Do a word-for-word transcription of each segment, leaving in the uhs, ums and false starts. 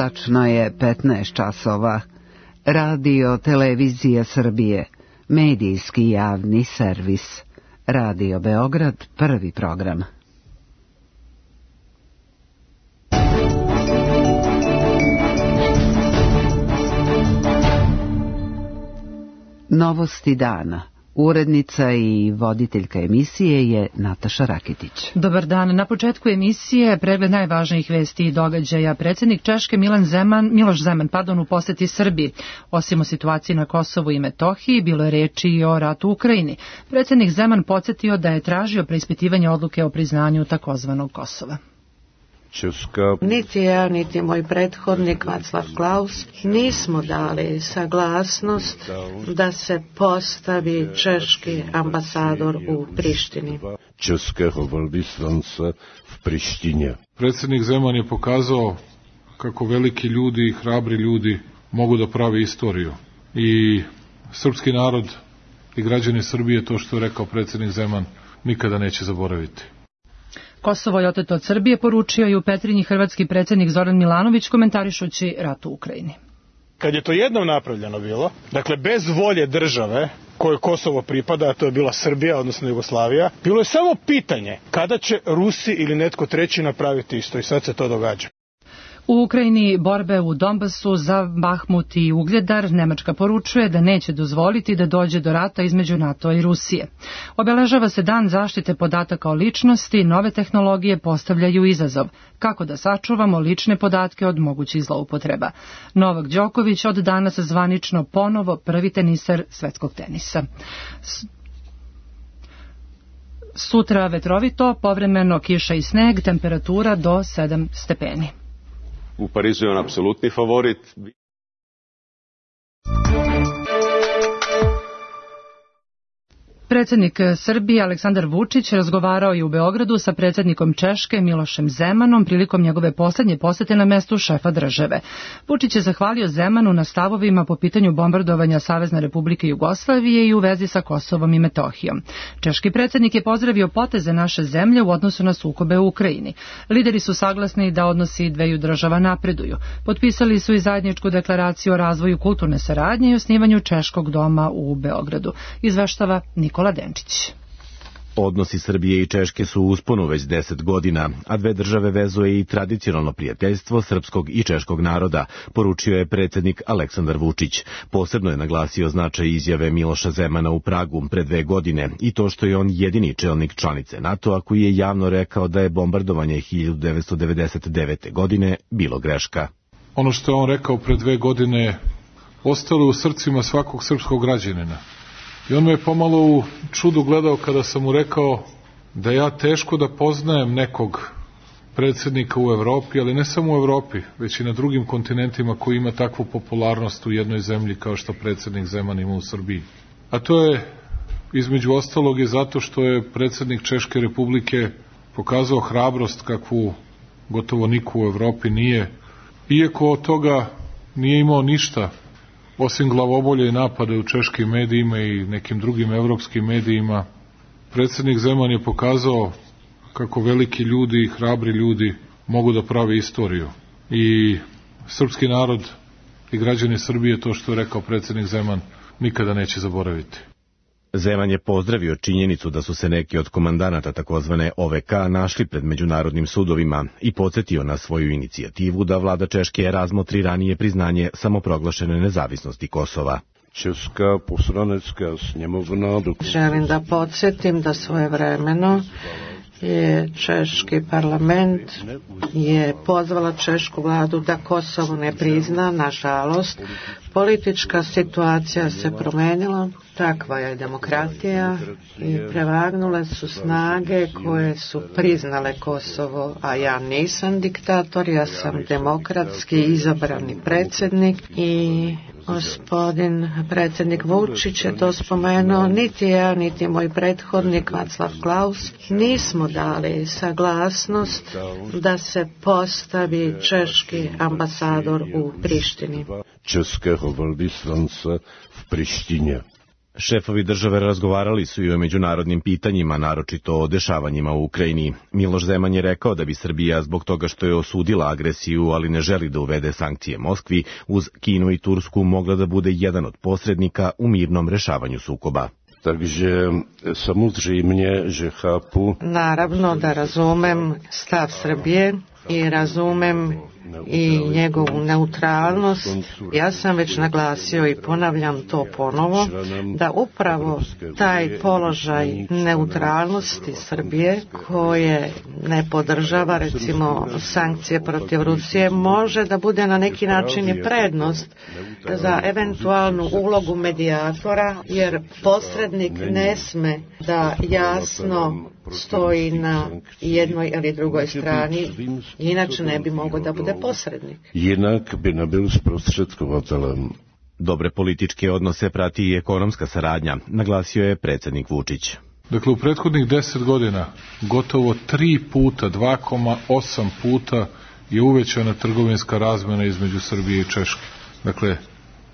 Tačno je petnaest časova. Radio Televizija Srbije, medijski javni servis. Radio Beograd, prvi program. Novosti dana. Urednica i voditeljka emisije je Nataša Raketić. Dobar dan. Na početku emisije pregled najvažnijih vesti i događaja. Predsjednik Češke Milan Zeman, Miloš Zeman pardon, u poseti Srbiji. Osim o situaciji na Kosovu i Metohiji, bilo je reči i o ratu u Ukrajini. Predsjednik Zeman podsjetio da je tražio preispitivanje odluke o priznanju takozvanog Kosova. Česka. Niti ja, niti moj prethodnik Václav Klaus nismo dali saglasnost da se postavi češki ambasador u Prištini. Českého velvyslanca v Prištini. Predsjednik Zeman je pokazao kako veliki ljudi i hrabri ljudi mogu da prave istoriju. I srpski narod i građani Srbije, to što je rekao predsjednik Zeman, nikada neće zaboraviti. Kosovo je oteto od Srbije, poručio i u Petrinji hrvatski predsjednik Zoran Milanović komentarišući rat u Ukrajini. Kad je to jednom napravljeno bilo, dakle bez volje države kojoj Kosovo pripada, a to je bila Srbija, odnosno Jugoslavija, bilo je samo pitanje kada će Rusi ili netko treći napraviti isto i sad se to događa. U Ukrajini borbe u Donbasu za Bahmut i Ugljadar Nemačka poručuje da neće dozvoliti da dođe do rata između NATO i Rusije. Obeležava se dan zaštite podataka o ličnosti, nove tehnologije postavljaju izazov. Kako da sačuvamo lične podatke od mogućih zloupotreba? Novak Đoković od danas zvanično ponovo prvi teniser svetskog tenisa. Sutra vetrovito, povremeno kiša i sneg, temperatura do sedam stepeni. U Parizu je on apsolutni favorit. Predsjednik Srbije Aleksandar Vučić razgovarao je u Beogradu sa predsjednikom Češke Milošem Zemanom prilikom njegove posljednje posjete na mestu šefa države. Vučić je zahvalio Zemanu na stavovima po pitanju bombardovanja Savezne Republike Jugoslavije i u vezi sa Kosovom i Metohijom. Češki predsjednik je pozdravio poteze naše zemlje u odnosu na sukobe u Ukrajini. Lideri su saglasni da odnosi dveju država napreduju. Potpisali su i zajedničku deklaraciju o razvoju kulturne saradnje i osnivanju Češkog doma u Beogradu. Izveštava Nikola Denčić. Odnosi Srbije i Češke su u usponu već deset godina, a dve države vezuje i tradicionalno prijateljstvo srpskog i češkog naroda, poručio je predsjednik Aleksandar Vučić. Posebno je naglasio značaj izjave Miloša Zemana u Pragu pre dve godine i to što je on jedini čelnik članice NATO-a koji je javno rekao da je bombardovanje hiljadu devetsto devedeset devete. godine bilo greška. Ono što je on rekao pre dve godine ostalo u srcima svakog srpskog građanina. I on me je pomalo u čudu gledao kada sam mu rekao da ja teško da poznajem nekog predsjednika u Evropi, ali ne samo u Evropi, već i na drugim kontinentima koji ima takvu popularnost u jednoj zemlji kao što predsjednik Zeman ima u Srbiji. A to je, između ostalog, i zato što je predsjednik Češke Republike pokazao hrabrost kakvu gotovo niko u Evropi nije, iako od toga nije imao ništa, osim glavobolje i napade u češkim medijima i nekim drugim evropskim medijima. Predsjednik Zeman je pokazao kako veliki ljudi i hrabri ljudi mogu da prave istoriju. I srpski narod i građani Srbije, to što je rekao predsjednik Zeman, nikada neće zaboraviti. Zeman je pozdravio činjenicu da su se neki od komandanata takozvane O V K našli pred međunarodnim sudovima i podsjetio na svoju inicijativu da vlada Češke razmotri ranije priznanje samoproglašene nezavisnosti Kosova. Česka poslanecka sněmovna. Želim da podsjetim da svojevremeno je češki parlament je pozvala češku vladu da Kosovo ne prizna. Nažalost, politička situacija se promenila, takva je demokratija i prevagnule su snage koje su priznale Kosovo, a ja nisam diktator, ja sam demokratski izabrani predsjednik i gospodin predsjednik Vučić je to spomenuo. Niti ja, niti moj prethodnik Václav Klaus nismo dali saglasnost da se postavi češki ambasador u Prištini. Českého velvyslanca v Prištině. Šefovi države razgovarali su i o međunarodnim pitanjima, naročito o dešavanjima u Ukrajini. Miloš Zeman je rekao da bi Srbija, zbog toga što je osudila agresiju, ali ne želi da uvede sankcije Moskvi, uz Kinu i Tursku mogla da bude jedan od posrednika u mirnom rešavanju sukoba. Takže samozřejmě, že chápu. Naravno da razumem stav Srbije i razumem i njegovu neutralnost. Ja sam već naglasio i ponavljam to ponovo, da upravo taj položaj neutralnosti Srbije, koje ne podržava recimo sankcije protiv Rusije, može da bude na neki način i prednost za eventualnu ulogu medijatora, jer posrednik ne sme da jasno stoji na jednoj ili drugoj strani, inače ne bi mogao da bude posrednik. Jinak bi nebyl zprostředkovatelem. Dobre političke odnose prati i ekonomska saradnja, naglasio je predsjednik Vučić. Dakle, u prethodnih deset godina gotovo tri puta, dva zarez osam puta je uvećana trgovinska razmena između Srbije i Češke. Dakle,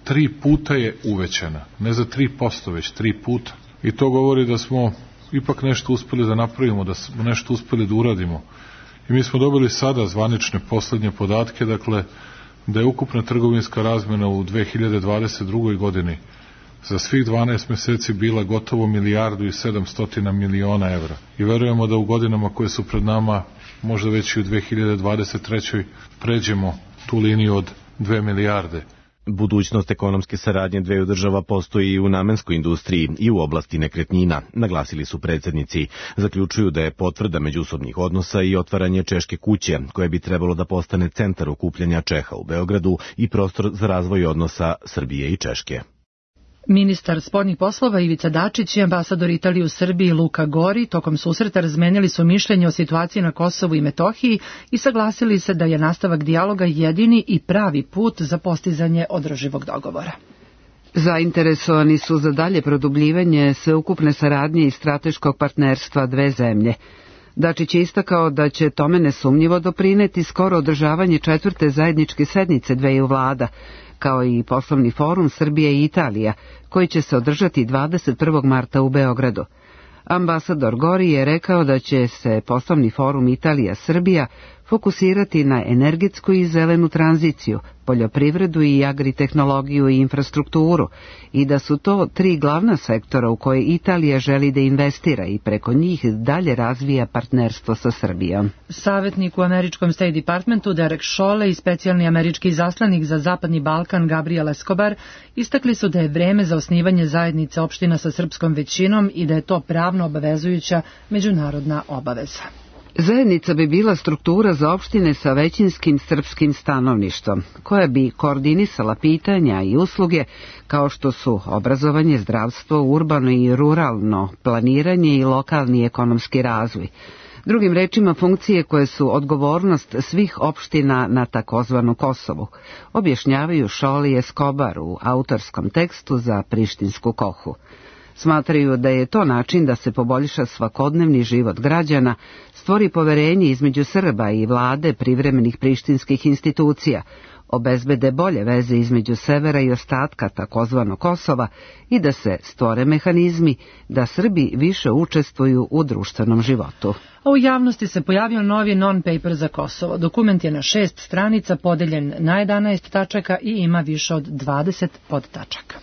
tri puta je uvećana, ne za tri posto, već tri puta. I to govori da smo ipak nešto uspeli da napravimo, da smo nešto uspeli da uradimo. I mi smo dobili sada zvanične poslednje podatke, dakle, da je ukupna trgovinska razmena u dve hiljade dvadeset drugoj godini za svih dvanaest meseci bila gotovo milijardu i sedamstotina miliona evra. I verujemo da u godinama koje su pred nama, možda već i u dve hiljade dvadeset trećoj pređemo tu liniju od dve milijarde. Budućnost ekonomske saradnje dveju država postoji i u namenskoj industriji i u oblasti nekretnina, naglasili su predsjednici. Zaključuju da je potvrda međusobnih odnosa i otvaranje Češke kuće, koje bi trebalo da postane centar okupljanja Čeha u Beogradu i prostor za razvoj odnosa Srbije i Češke. Ministar spoljnih poslova Ivica Dačić i ambasador Italije u Srbiji Luka Gori tokom susreta razmenili su mišljenje o situaciji na Kosovu i Metohiji i saglasili se da je nastavak dijaloga jedini i pravi put za postizanje održivog dogovora. Zainteresovani su za dalje produbljivanje sveukupne saradnje i strateškog partnerstva dve zemlje. Dačić je istakao da će tome nesumnjivo doprineti skoro održavanje četvrte zajedničke sednice dveju vlada, kao i poslovni forum Srbije i Italija, koji će se održati dvadeset prvog marta u Beogradu. Ambasador Gori je rekao da će se poslovni forum Italija-Srbija fokusirati na energetsku i zelenu tranziciju, poljoprivredu i agritehnologiju i infrastrukturu i da su to tri glavna sektora u koje Italija želi da investira i preko njih dalje razvija partnerstvo sa Srbijom. Savjetnik u američkom State Departmentu Derek Chollet i specijalni američki izaslanik za Zapadni Balkan Gabriel Escobar istakli su da je vreme za osnivanje zajednice opština sa srpskom većinom i da je to pravno obavezujuća međunarodna obaveza. Zajednica bi bila struktura za opštine sa većinskim srpskim stanovništvom, koja bi koordinisala pitanja i usluge kao što su obrazovanje, zdravstvo, urbano i ruralno planiranje i lokalni ekonomski razvoj. Drugim rečima, funkcije koje su odgovornost svih opština na takozvanu Kosovu, objašnjavaju Chollet i Escobar u autorskom tekstu za Prištinsku kohu. Smatraju da je to način da se poboljša svakodnevni život građana, stvori poverenje između Srba i vlade privremenih prištinskih institucija, obezbede bolje veze između severa i ostatka takozvano Kosova i da se stvore mehanizmi da Srbi više učestvuju u društvenom životu. A u javnosti se pojavio novi non-paper za Kosovo. Dokument je na šest stranica podeljen na jedanaest tačaka i ima više od dvadeset podtačaka.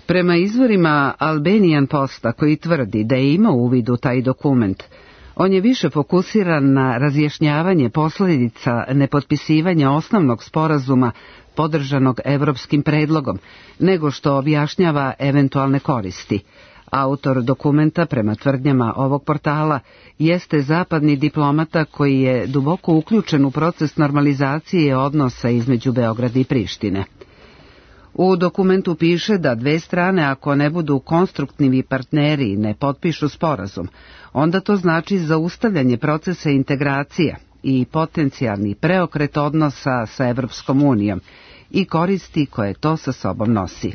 Prema izvorima Albanian Posta, koji tvrdi da je imao uvid u taj dokument, on je više fokusiran na razjašnjavanje posljedica nepotpisivanja osnovnog sporazuma podržanog evropskim predlogom, nego što objašnjava eventualne koristi. Autor dokumenta, prema tvrdnjama ovog portala, jeste zapadni diplomata koji je duboko uključen u proces normalizacije odnosa između Beograda i Prištine. U dokumentu piše da dve strane, ako ne budu konstruktivni partneri i ne potpišu sporazum, onda to znači zaustavljanje procesa integracije i potencijalni preokret odnosa sa Evropskom unijom i koristi koje to sa sobom nosi.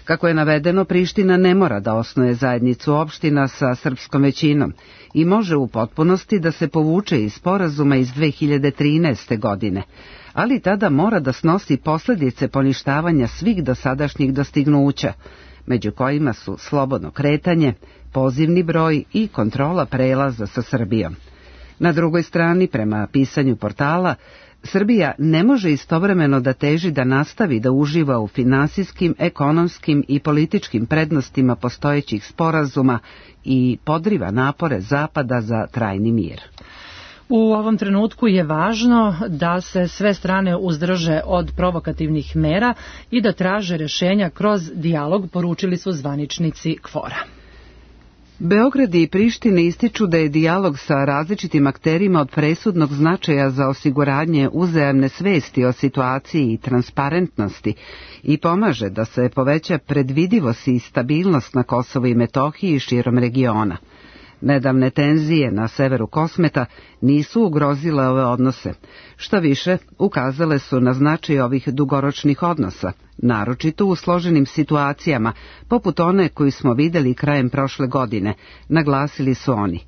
Kako je navedeno, Priština ne mora da osnuje zajednicu opština sa srpskom većinom i može u potpunosti da se povuče iz sporazuma iz dve hiljade trinaeste. godine, ali tada mora da snosi posljedice poništavanja svih dosadašnjih dostignuća, među kojima su slobodno kretanje, pozivni broj i kontrola prelaza sa Srbijom. Na drugoj strani, prema pisanju portala, Srbija ne može istovremeno da teži da nastavi da uživa u finansijskim, ekonomskim i političkim prednostima postojećih sporazuma i podriva napore Zapada za trajni mir. U ovom trenutku je važno da se sve strane uzdrže od provokativnih mera i da traže rešenja kroz dijalog, poručili su zvaničnici KFOR-a. Beograd i Priština ističu da je dijalog sa različitim akterima od presudnog značaja za osiguranje uzajamne svesti o situaciji i transparentnosti i pomaže da se poveća predvidivost i stabilnost na Kosovu i Metohiji i širom regiona. Nedavne tenzije na severu Kosmeta nisu ugrozile ove odnose. Šta više, ukazale su na značaj ovih dugoročnih odnosa, naročito u složenim situacijama, poput one koju smo videli krajem prošle godine, naglasili su oni.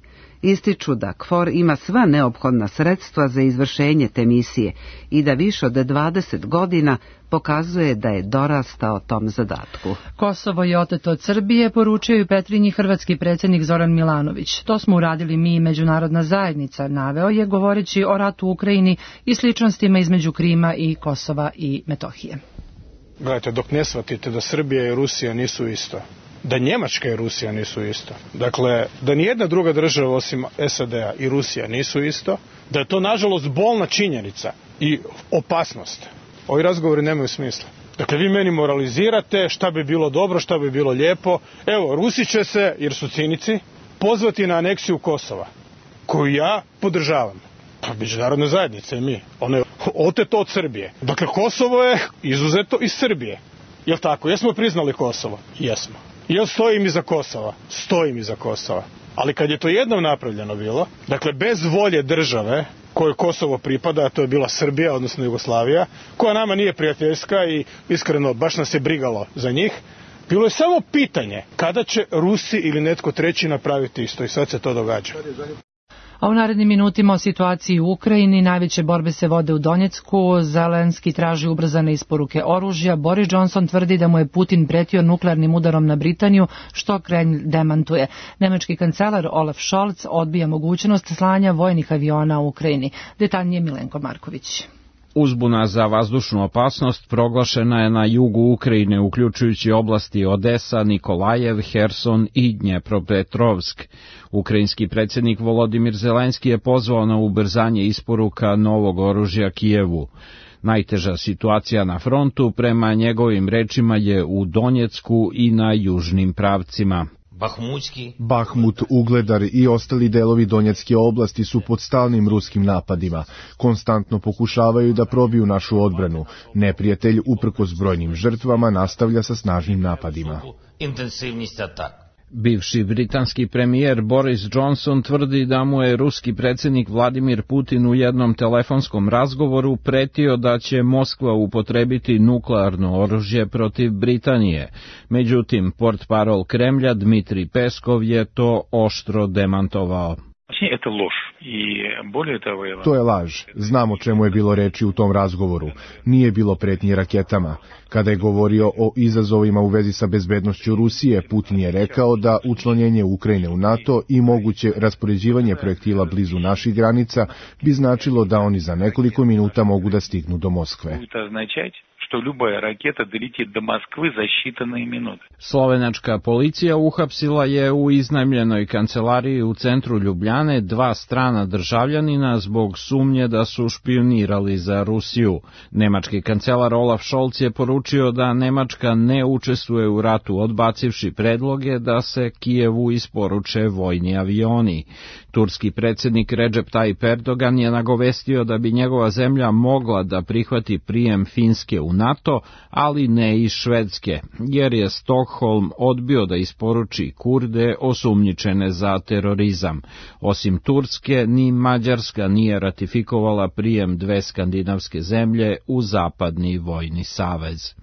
Ističu da KFOR ima sva neophodna sredstva za izvršenje te misije i da više od dvadeset godina pokazuje da je dorastao tom zadatku. Kosovo je oteto od Srbije, poručio i Petrinji hrvatski predsjednik Zoran Milanović. To smo uradili mi i međunarodna zajednica, naveo je govoreći o ratu u Ukrajini i sličnostima između Krima i Kosova i Metohije. Gledajte, dok ne shvatite da Srbija i Rusija nisu isto, da Njemačka i Rusija nisu isto, dakle, da nijedna druga država osim S A D-a i Rusija nisu isto, da je to nažalost bolna činjenica i opasnost, ovi razgovori nemaju smisla. Dakle, vi meni moralizirate šta bi bilo dobro, šta bi bilo lijepo. Evo, Rusi će se, jer su cinici, pozvati na aneksiju Kosova, koju ja podržavam. Pa međunarodna zajednica i mi. Ono je oteto od Srbije. Dakle, Kosovo je izuzeto iz Srbije. Jel' tako? Jesmo priznali Kosovo? Jesmo. Jel stojim iza Kosova? Stojim iza Kosova. Ali kad je to jednom napravljeno bilo, dakle, bez volje države kojoj Kosovo pripada, a to je bila Srbija, odnosno Jugoslavija, koja nama nije prijateljska i iskreno baš nas je brigalo za njih, bilo je samo pitanje kada će Rusi ili netko treći napraviti isto i sad se to događa. A u narednim minutima o situaciji u Ukrajini, najveće borbe se vode u Donjecku, Zelenski traži ubrzane isporuke oružja, Boris Johnson tvrdi da mu je Putin pretio nuklearnim udarom na Britaniju, što Kremlj demantuje. Nemački kancelar Olaf Scholz odbija mogućnost slanja vojnih aviona u Ukrajini. Detaljnije Milenko Marković. Uzbuna za vazdušnu opasnost proglašena je na jugu Ukrajine, uključujući oblasti Odesa, Nikolajev, Herson i Dnjepropetrovsk. Ukrajinski predsjednik Volodimir Zelenski je pozvao na ubrzanje isporuka novog oružja Kijevu. Najteža situacija na frontu, prema njegovim rečima, je u Donjecku i na južnim pravcima. Bahmut, Ugledar i ostali delovi Donjecke oblasti su pod stalnim ruskim napadima. Konstantno pokušavaju da probiju našu odbranu. Neprijatelj, uprkos brojnim žrtvama, nastavlja sa snažnim napadima. Bivši britanski premijer Boris Johnson tvrdi da mu je ruski predsjednik Vladimir Putin u jednom telefonskom razgovoru pretio da će Moskva upotrebiti nuklearno oružje protiv Britanije. Međutim, portparol Kremlja Dmitrij Peskov je to oštro demantovao. To je laž. Znam o čemu je bilo reči u tom razgovoru. Nije bilo pretnje raketama. Kada je govorio o izazovima u vezi sa bezbednošću Rusije, Putin je rekao da učlanjenje Ukrajine u NATO i moguće raspoređivanje projektila blizu naših granica bi značilo da oni za nekoliko minuta mogu da stignu do Moskve. što ljubaja raketa doleti do Moskve za считанные minute. Slovenačka policija uhapsila je u iznajmljenoj kancelariji u centru Ljubljane dva strana državljanina zbog sumnje da su špionirali za Rusiju. Nemački kancelar Olaf Scholz je poručio da Nemačka ne učestvuje u ratu, odbacivši predloge da se Kijevu isporuče vojni avioni. Turski predsjednik Recep Tayyip Erdogan je nagovestio da bi njegova zemlja mogla da prihvati prijem Finske u NATO, ali ne i Švedske, jer je Stockholm odbio da isporuči Kurde osumnjičene za terorizam. Osim Turske, ni Mađarska nije ratifikovala prijem dve skandinavske zemlje u Zapadni vojni savez.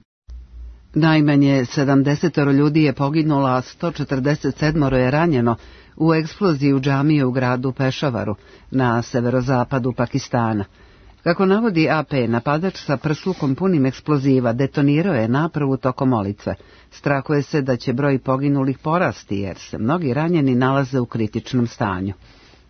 Najmanje sedamdeset ljudi je poginulo, a sto četrdeset sedam je ranjeno u eksploziji u džamiji u gradu Pešavaru na severozapadu Pakistana. Kako navodi A P, napadač sa prslukom punim eksploziva detonirao je napravu tokom molitve. Strahuje se da će broj poginulih porasti jer se mnogi ranjeni nalaze u kritičnom stanju.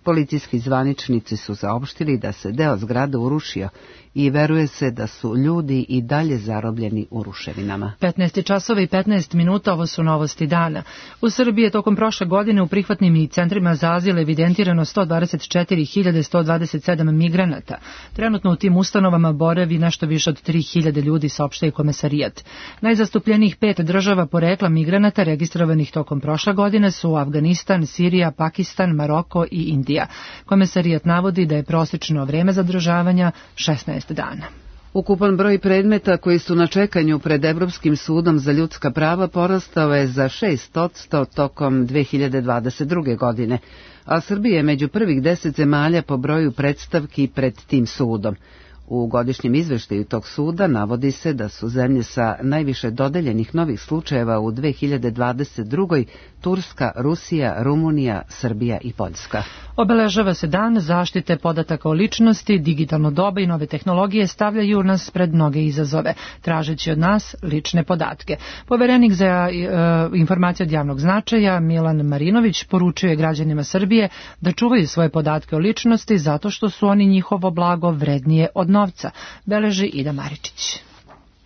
Policijski zvaničnici su saopštili da se deo zgrade urušio i veruje se da su ljudi i dalje zarobljeni u ruševinama. petnaest časova i petnaest minuta, ovo su novosti dana. U Srbiji je tokom prošle godine u prihvatnim i centrima za azil evidentirano sto dvadeset četiri hiljade sto dvadeset sedam migranata. Trenutno u tim ustanovama boravi nešto više od tri hiljade ljudi, saopštava komesarijat. Najzastupljenijih pet država porekla migranata registrovanih tokom prošle godine su Afganistan, Sirija, Pakistan, Maroko i Indija. Komesarijat navodi da je prosječno vreme zadržavanja šesnaest dana. Ukupan broj predmeta koji su na čekanju pred Evropskim sudom za ljudska prava porastao je za šest posto tokom dve hiljade dvadeset druge. godine, a Srbija je među prvih deset zemalja po broju predstavki pred tim sudom. U godišnjem izveštaju tog suda navodi se da su zemlje sa najviše dodeljenih novih slučajeva u dve hiljade dvadeset drugoj. Turska, Rusija, Rumunija, Srbija i Poljska. Obeležava se dan zaštite podataka o ličnosti, digitalno doba i nove tehnologije stavljaju nas pred mnoge izazove, tražeći od nas lične podatke. Poverenik za e, informacije od javnog značaja Milan Marinović poručio je građanima Srbije da čuvaju svoje podatke o ličnosti zato što su oni njihovo blago vrednije od novca, beleži Ida Maričić.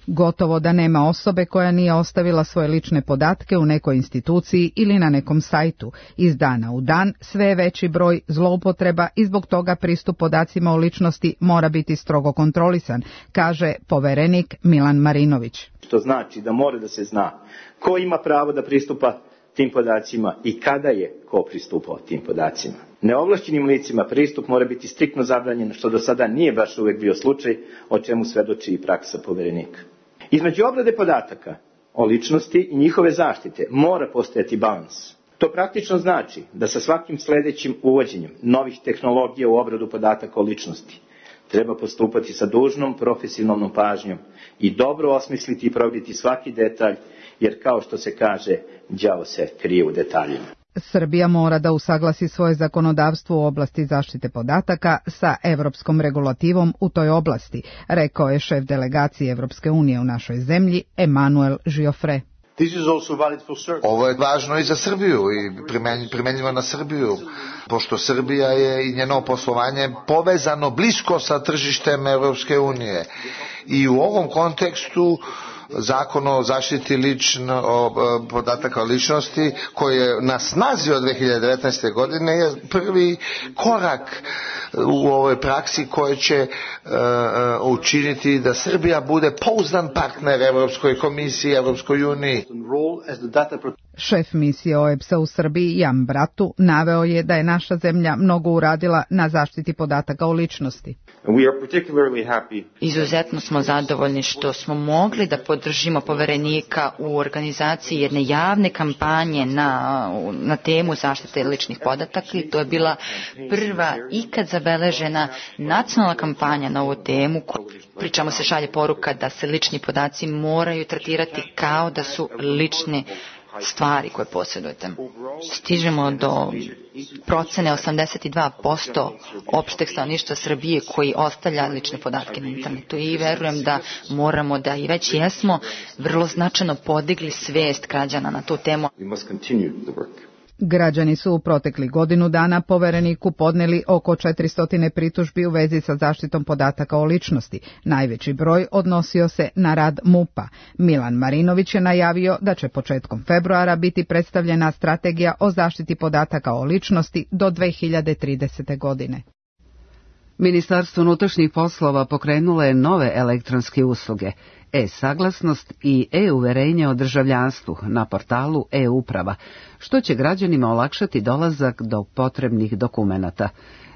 Gotovo da nema osobe koja nije ostavila svoje lične podatke u nekoj instituciji ili na nekom sajtu. Iz dana u dan sve je veći broj zloupotreba i zbog toga pristup podacima o ličnosti mora biti strogo kontrolisan, kaže poverenik Milan Marinović. Što znači da mora da se zna ko ima pravo da pristupa tim podacima i kada je ko pristupao tim podacima. Neovlašćenim licima pristup mora biti striktno zabranjen, što do sada nije baš uvek bio slučaj, o čemu svedoči i praksa poverenika. Između obrade podataka o ličnosti i njihove zaštite mora postojati balans. To praktično znači da sa svakim sledećim uvođenjem novih tehnologija u obradu podataka o ličnosti treba postupati sa dužnom profesionalnom pažnjom i dobro osmisliti i provjeriti svaki detalj, jer kao što se kaže, đavo se krije u detaljima. Srbija mora da usaglasi svoje zakonodavstvo u oblasti zaštite podataka sa evropskom regulativom u toj oblasti, rekao je šef delegacije Evropske unije u našoj zemlji, Emanuel Giofre. Ovo je važno i za Srbiju i primenjivo na Srbiju, pošto Srbija je i njeno poslovanje povezano blisko sa tržištem Evropske unije. I u ovom kontekstu Zakon o zaštiti lično, o, podataka o ličnosti koji je na snazi od dve hiljade devetnaeste. godine je prvi korak u ovoj praksi koji će uh, učiniti da Srbija bude pouzdan partner Evropskoj komisiji, Evropskoj uniji. Šef misije O E B S A u Srbiji, Jan Bratu, naveo je da je naša zemlja mnogo uradila na zaštiti podataka o ličnosti. Izuzetno smo zadovoljni što smo mogli da podržimo poverenika u organizaciji jedne javne kampanje na, na temu zaštite ličnih podataka i to je bila prva ikad zabeležena nacionalna kampanja na ovu temu. Pričamo se šalje poruka da se lični podaci moraju tretirati kao da su lični stvari koje posjedujete. Stižemo do procene osamdeset dva posto opšteg stanovništva Srbije koji ostavlja lične podatke na internetu i verujem da moramo da i već jesmo vrlo značajno podigli svest građana na tu temu. Građani su u proteklih godinu dana povereniku podneli oko četiristo pritužbi u vezi sa zaštitom podataka o ličnosti. Najveći broj odnosio se na rad M U P-a. Milan Marinović je najavio da će početkom februara biti predstavljena strategija o zaštiti podataka o ličnosti do dve hiljade tridesete. godine. Ministarstvo unutrašnjih poslova pokrenulo je nove elektronske usluge, e-saglasnost i e-uverenje o državljanstvu na portalu e-uprava, što će građanima olakšati dolazak do potrebnih dokumenata.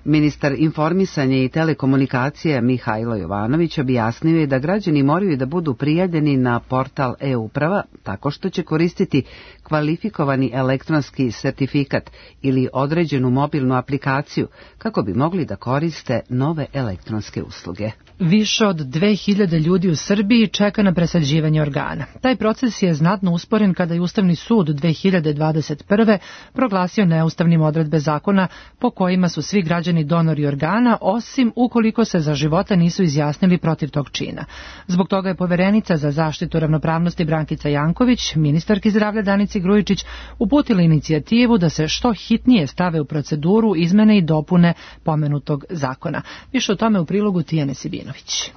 Ministar informisanja i telekomunikacija Mihajlo Jovanović objasnio je da građani moraju da budu prijavljeni na portal e-uprava tako što će koristiti kvalifikovani elektronski sertifikat ili određenu mobilnu aplikaciju kako bi mogli da koriste nove elektronske usluge. Više od dve hiljade ljudi u Srbiji čeka na presađivanje organa. Taj proces je znatno usporen kada je Ustavni sud dve hiljade dvadeset prve. proglasio neustavnim odredbe zakona po kojima su svi građani građani donori organa, osim ukoliko se za života nisu izjasnili protiv tog čina. Zbog toga je poverenica za zaštitu ravnopravnosti Brankica Janković, ministarki zdravlja Danici Grujičić, uputila inicijativu da se što hitnije stave u proceduru izmene i dopune pomenutog zakona. Više o tome u prilogu Tijane Sibinović.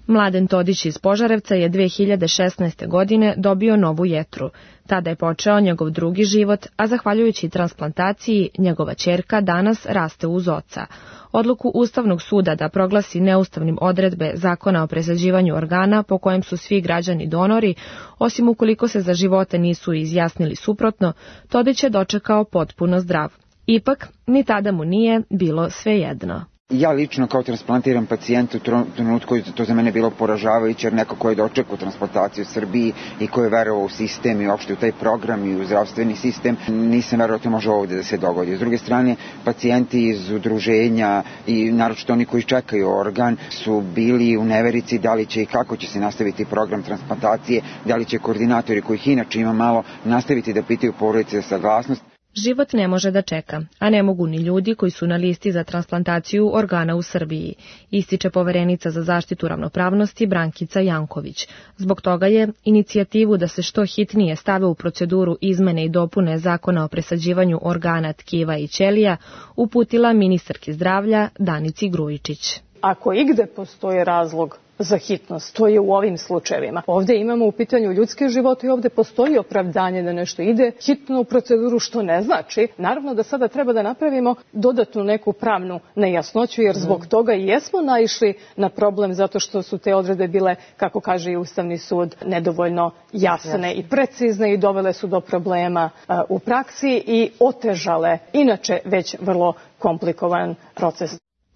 Mladen Todić iz Požarevca je dve hiljade šesnaeste. godine dobio novu jetru. Tada je počeo njegov drugi život, a zahvaljujući transplantaciji, njegova ćerka danas raste uz oca. Odluku Ustavnog suda da proglasi neustavnim odredbe Zakona o presađivanju organa po kojem su svi građani donori, osim ukoliko se za živote nisu izjasnili suprotno, Todić je dočekao potpuno zdrav. Ipak, ni tada mu nije bilo svejedno. Ja lično kao transplantiran pacijent u trenutku to za mene bilo poražavajuće, jer neko ko je dočekao transplantaciju u Srbiji i ko je verovao u sistem i uopšte u taj program i u zdravstveni sistem, nisam verovao da to može ovdje da se dogodi. S druge strane, pacijenti iz udruženja i naročito oni koji čekaju organ su bili u neverici da li će i kako će se nastaviti program transplantacije, da li će koordinatori kojih inače ima malo nastaviti da pitaju porodice za saglasnost. Život ne može da čeka, a ne mogu ni ljudi koji su na listi za transplantaciju organa u Srbiji, ističe poverenica za zaštitu ravnopravnosti Brankica Janković. Zbog toga je inicijativu da se što hitnije stave u proceduru izmene i dopune Zakona o presađivanju organa, tkiva i ćelija uputila ministarki zdravlja Danici Grujičić. Ako igde postoji razlog za hitnost, to je u ovim slučajevima. Ovdje imamo u pitanju ljudske živote i ovdje postoji opravdanje da nešto ide hitno u proceduru, što ne znači. Naravno da sada treba da napravimo dodatnu neku pravnu nejasnoću, jer zbog toga i jesmo naišli na problem, zato što su te odredbe bile, kako kaže i Ustavni sud, nedovoljno jasne i precizne i dovele su do problema u praksi i otežale inače već vrlo komplikovan proces.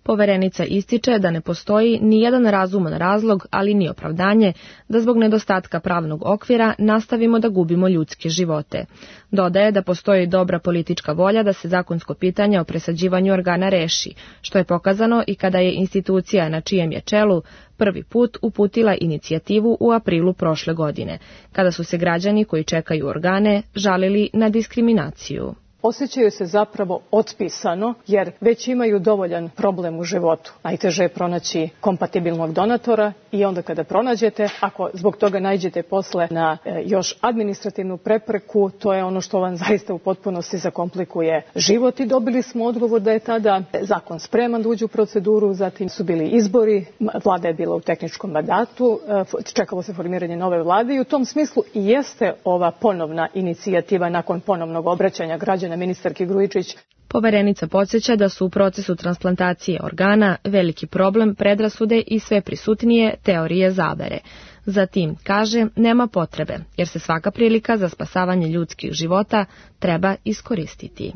Poverenica ističe da ne postoji ni jedan razuman razlog, ali ni opravdanje, da zbog nedostatka pravnog okvira nastavimo da gubimo ljudske živote. Dodaje da postoji dobra politička volja da se zakonsko pitanje o presađivanju organa reši, što je pokazano i kada je institucija na čijem je čelu prvi put uputila inicijativu u aprilu prošle godine, kada su se građani koji čekaju organe žalili na diskriminaciju. Osjećaju se zapravo otpisano, jer već imaju dovoljan problem u životu. Najteže je pronaći kompatibilnog donatora i onda kada pronađete, ako zbog toga naiđete posle na e, još administrativnu prepreku, to je ono što vam zaista u potpunosti zakomplikuje život i dobili smo odgovor da je tada zakon spreman da uđe u proceduru, zatim su bili izbori, vlada je bila u tehničkom mandatu, e, čekalo se formiranje nove vlade i u tom smislu i jeste ova ponovna inicijativa nakon ponovnog obraćanja građana ministarki Grujičić. Poverenica podsjeća da su u procesu transplantacije organa veliki problem predrasude i sve prisutnije teorije zavere. Zatim, kaže, nema potrebe, jer se svaka prilika za spasavanje ljudskih života treba iskoristiti.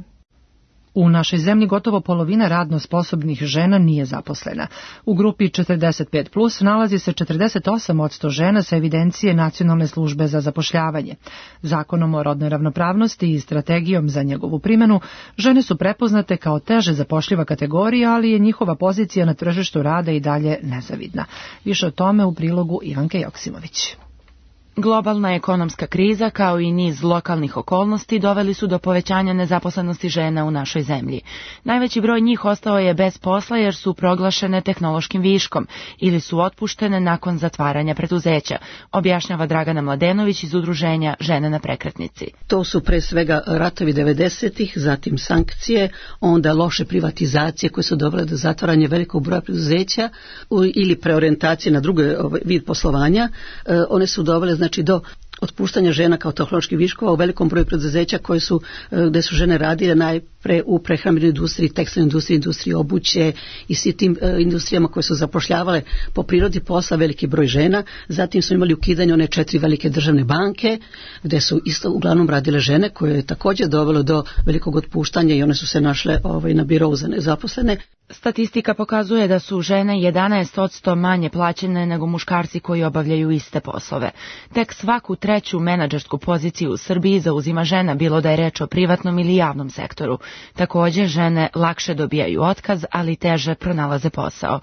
U našoj zemlji gotovo polovina radno sposobnih žena nije zaposlena. U grupi četrdeset pet plus nalazi se četrdeset osam posto žena sa evidencije Nacionalne službe za zapošljavanje. Zakonom o rodnoj ravnopravnosti i strategijom za njegovu primjenu, žene su prepoznate kao teže zapošljiva kategorija, ali je njihova pozicija na tržištu rada i dalje nezavidna. Više o tome u prilogu Ivanke Joksimović. Globalna ekonomska kriza kao i niz lokalnih okolnosti doveli su do povećanja nezaposlenosti žena u našoj zemlji. Najveći broj njih ostao je bez posla jer su proglašene tehnološkim viškom ili su otpuštene nakon zatvaranja preduzeća, objašnjava Dragana Mladenović iz udruženja Žene na prekretnici. To su pre svega ratovi devedesetih, zatim sankcije, onda loše privatizacije koje su dovele do zatvaranja velikog broja preduzeća ili preorijentacije na drugi vid poslovanja. One su dovele znači Znači do otpuštanja žena kao tehnoloških viškova u velikom broju preduzeća koje su, gde su žene radile najpre u prehrambenoj industriji, tekstilnoj industriji, industriji obuće i svi tim industrijama koje su zapošljavale po prirodi posla veliki broj žena. Zatim smo imali ukidanje one četiri velike državne banke gde su isto uglavnom radile žene, koje je također dovelo do velikog otpuštanja i one su se našle ovaj, na birovu za nezaposlene. Statistika pokazuje da su žene jedanaest posto manje plaćene nego muškarci koji obavljaju iste poslove. Tek svaku treću menadžersku poziciju u Srbiji zauzima žena, bilo da je reč o privatnom ili javnom sektoru. Takođe, žene lakše dobijaju otkaz, ali teže pronalaze posao.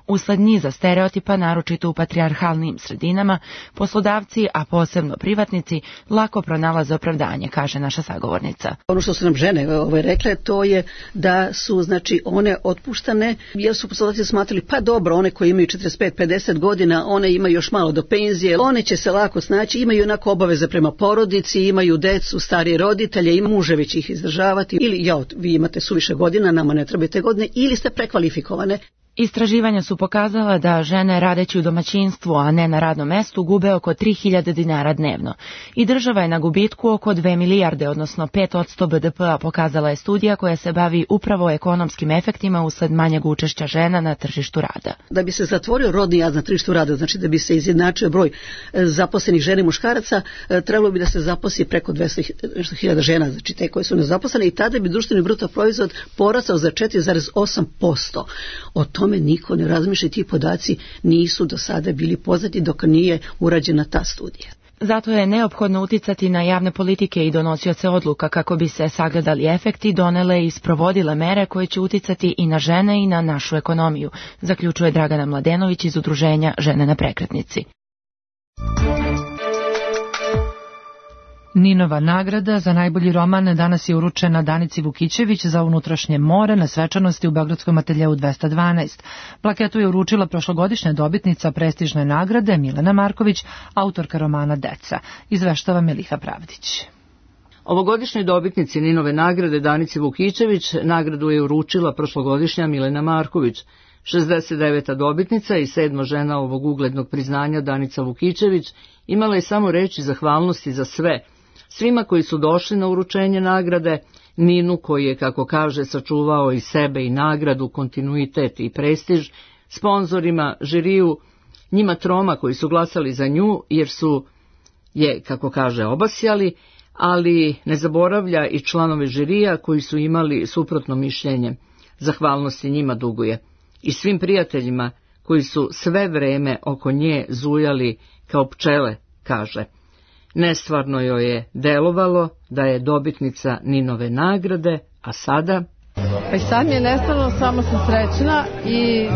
Usled niza stereotipa, naročito u patrijarhalnim sredinama, poslodavci, a posebno privatnici, lako pronalaze opravdanje, kaže naša sagovornica. Ono što su nam žene ove rekle, to je da su, znači, one otpuštane, jer su poslodavci smatrali, pa dobro, one koje imaju četrdeset pet pedeset godina, one imaju još malo do penzije, one će se lako snaći, imaju onako obaveze prema porodici, imaju decu, starije roditelje, ima muževi će ih izdržavati, ili ja, vi imate suviše godina, nama ne trebate godine, ili ste prekvalifikovane. Istraživanja su pokazala da žene radeći u domaćinstvu, a ne na radnom mestu, gube oko tri hiljade dinara dnevno. I država je na gubitku oko dve milijarde, odnosno pet posto be de pe-a, pokazala je studija koja se bavi upravo ekonomskim efektima usled manjeg učešća žena na tržištu rada. Da bi se zatvorio rodni jaz na tržištu rada, znači da bi se izjednačio broj zaposlenih žena i muškaraca, trebalo bi da se zaposli preko dvesta hiljada žena, znači te koje su nezaposlene, i tada bi društveni bruto proizvod porastao za četiri zarez osam posto. O tome niko ne razmišlja, ti podaci nisu do sada bili poznati dok nije urađena ta studija. Zato je neophodno uticati na javne politike i donosioce odluka kako bi se sagledali efekti, donele i sprovodile mere koje će uticati i na žene i na našu ekonomiju, zaključuje Dragana Mladenović iz udruženja Žene na prekretnici. Ninova nagrada za najbolji roman danas je uručena Danici Vukićević za Unutrašnje more na svečanosti u Beogradskom ateljeu dvesta dvanaest. Plaketu je uručila prošlogodišnja dobitnica prestižne nagrade Milena Marković, autorka romana Deca. Izveštava Miliha Pravdić. Ovogodišnjoj dobitnici Ninove nagrade Danici Vukićević nagradu je uručila prošlogodišnja Milena Marković. šezdeset deveta dobitnica i sedma žena ovog uglednog priznanja, Danica Vukićević, imala je samo reči zahvalnosti za sve, svima koji su došli na uručenje nagrade, Ninu koji je, kako kaže, sačuvao i sebe i nagradu, kontinuitet i prestiž, sponzorima, žiriju, njima troma koji su glasali za nju jer su je, kako kaže, obasjali, ali ne zaboravlja i članove žirija koji su imali suprotno mišljenje. Zahvalnosti njima duguje. I svim prijateljima koji su sve vreme oko nje zujali kao pčele, kaže. Nestvarno joj je delovalo da je dobitnica Ninove nagrade, a sada... Pa i sad mi je nestvarno, samo sam srećna i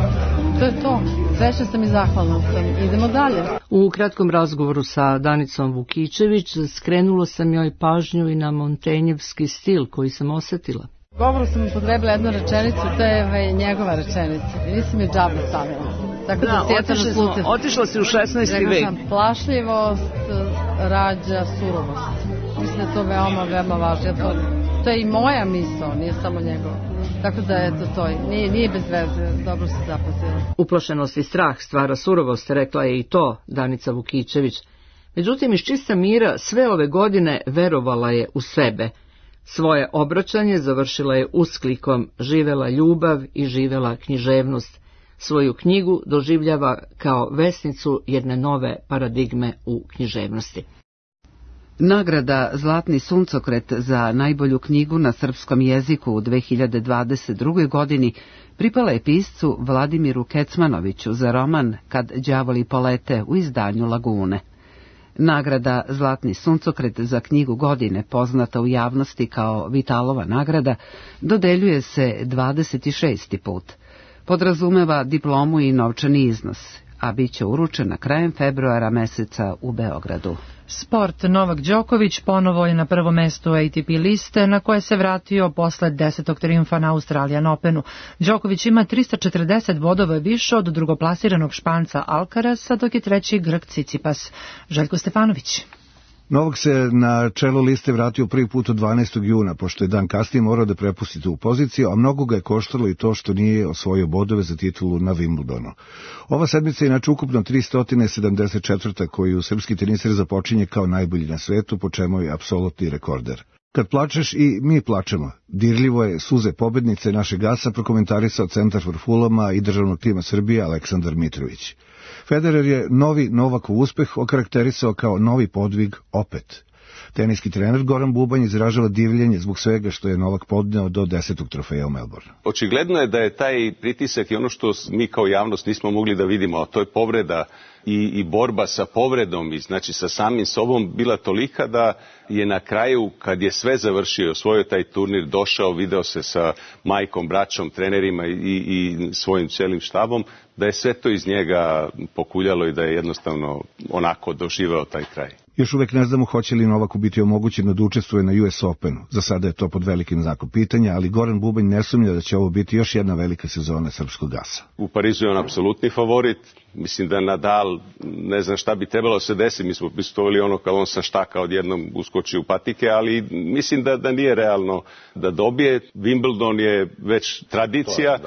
to je to. Srećna sam i zahvalna sam. Idemo dalje. U kratkom razgovoru sa Danicom Vukićević skrenulo sam joj pažnju i na montenjevski stil koji sam osetila. U govoru sam upotrebila jednu rečenicu, to je njegova rečenica. Nisam je džabe stavila. Tako da, da otišla, smo, otišla si u šesnaesti vek. Rekla sam, plašljivost rađa surovost. Mislim da je to veoma, veoma važno. To, to je i moja misao, nije samo njegova. Tako da, eto, to nije, nije bez veze, dobro se zapazila. Uplašenost i strah stvara surovost, rekla je i to Danica Vukićević. Međutim, iz čista mira sve ove godine verovala je u sebe. Svoje obraćanje završila je usklikom živela ljubav i živela književnost. Svoju knjigu doživljava kao vesnicu jedne nove paradigme u književnosti. Nagrada Zlatni suncokret za najbolju knjigu na srpskom jeziku u dve hiljade dvadeset druge. godini pripala je piscu Vladimiru Kecmanoviću za roman Kad đavoli polete u izdanju Lagune. Nagrada Zlatni suncokret za knjigu godine, poznata u javnosti kao Vitalova nagrada, dodeljuje se dvadeset šesti put. Podrazumeva diplomu i novčani iznos, a bit će uručena krajem februara meseca u Beogradu. Sport. Novak Đoković ponovo je na prvo mesto A T P liste, na koje se vratio posle desetog trijumfa na Australian Openu. Đoković ima trista četrdeset bodova više od drugoplasiranog Španca Alcarasa, dok je treći Grk Cicipas. Željko Stefanović. Novak se na čelo liste vratio prvi put od dvanaestog juna, pošto je dan kasnije morao da prepusti tu poziciju, a mnogo ga je koštalo i to što nije osvojio bodove za titulu na Wimbledonu. Ova sedmica je inače ukupno tristo sedamdeset četvrta koju srpski teniser započinje kao najbolji na svetu, po čemu je apsolutni rekorder. Kad plačeš i mi plačemo. Dirljivo je suze pobednice našeg gasa prokomentarisao centar for Fulama i državnog tima Srbije Aleksandar Mitrović. Federer je novi Novakov uspeh okarakterisao kao novi podvig opet. Teniski trener Goran Bubanj izražava divljenje zbog svega što je Novak podneo do desetog trofeja u Melbourneu. Očigledno je da je taj pritisak i ono što mi kao javnost nismo mogli da vidimo, a to je povreda i, i borba sa povredom i znači sa samim sobom bila tolika da je na kraju, kad je sve završio, osvojio taj turnir, došao, video se sa majkom, braćom, trenerima i, i svojim cijelim štabom, da je sve to iz njega pokuljalo i da je jednostavno onako doživeo taj kraj. Još uvek ne znamo hoće li Novaku biti omogućeno da učestvuje na U S Openu. Za sada je to pod velikim znakom pitanja, ali Goran Bubanj ne sumnja da će ovo biti još jedna velika sezona srpskog gasa. U Parizu je on apsolutni favorit. Mislim da Nadal, ne znam šta bi trebalo se desiti, mi smo pristovali ono kao on sa štaka odjednom uskoči u patike, ali mislim da, da nije realno da dobije. Wimbledon je već tradicija.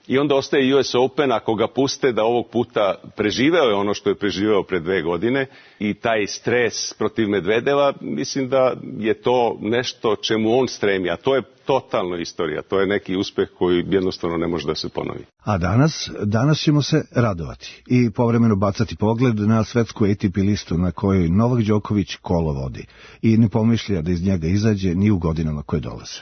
I onda ostaje U S Open, ako ga puste da ovog puta preživeo je ono što je preživeo pre dve godine i taj stres protiv Medvedeva, mislim da je to nešto čemu on stremi, a to je totalno istorija, to je neki uspeh koji jednostavno ne može da se ponovi. A danas, danas ćemo se radovati i povremeno bacati pogled na svetsku A T P listu na kojoj Novak Đoković kolo vodi i ne pomišlja da iz njega izađe ni u godinama koje dolaze.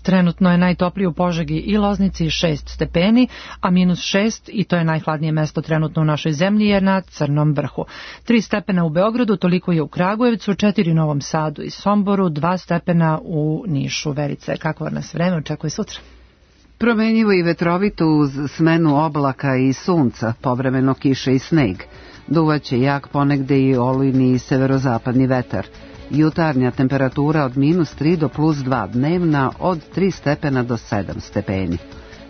Trenutno je najtoplije u Požegi i Loznici šest stepeni, a minus šest, i to je najhladnije mesto trenutno u našoj zemlji, je na Crnom vrhu. Tri stepena u Beogradu, toliko je u Kragujevcu, četiri u Novom Sadu i Somboru, dva stepena u Nišu. Verice, kako nas vreme očekuje sutra? Promenjivo i vetrovito uz smenu oblaka i sunca, povremeno kiše i sneg. Duvaće jak ponegde i olujni i severozapadni vetar. Jutarnja temperatura od minus tri do plus dva, dnevna od tri stepena do sedam stepeni.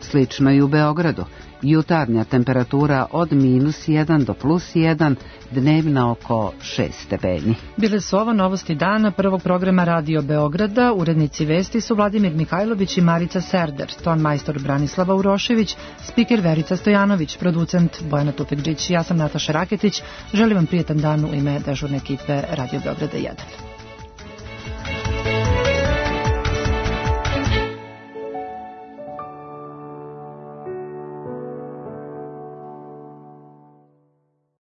Slično i u Beogradu. Jutarnja temperatura od minus jedan do plus jedan, dnevna oko šest stepeni. Bile su ovo novosti dana prvog programa Radio Beograda. Urednici vesti su Vladimir Mihajlović i Marica Serder, ton majstor Branislava Urošević, spiker Verica Stojanović, producent Bojana Tupekđić. Ja sam Nataša Raketić. Želim vam prijetan dan u ime dežurne ekipe Radio Beograda jedan.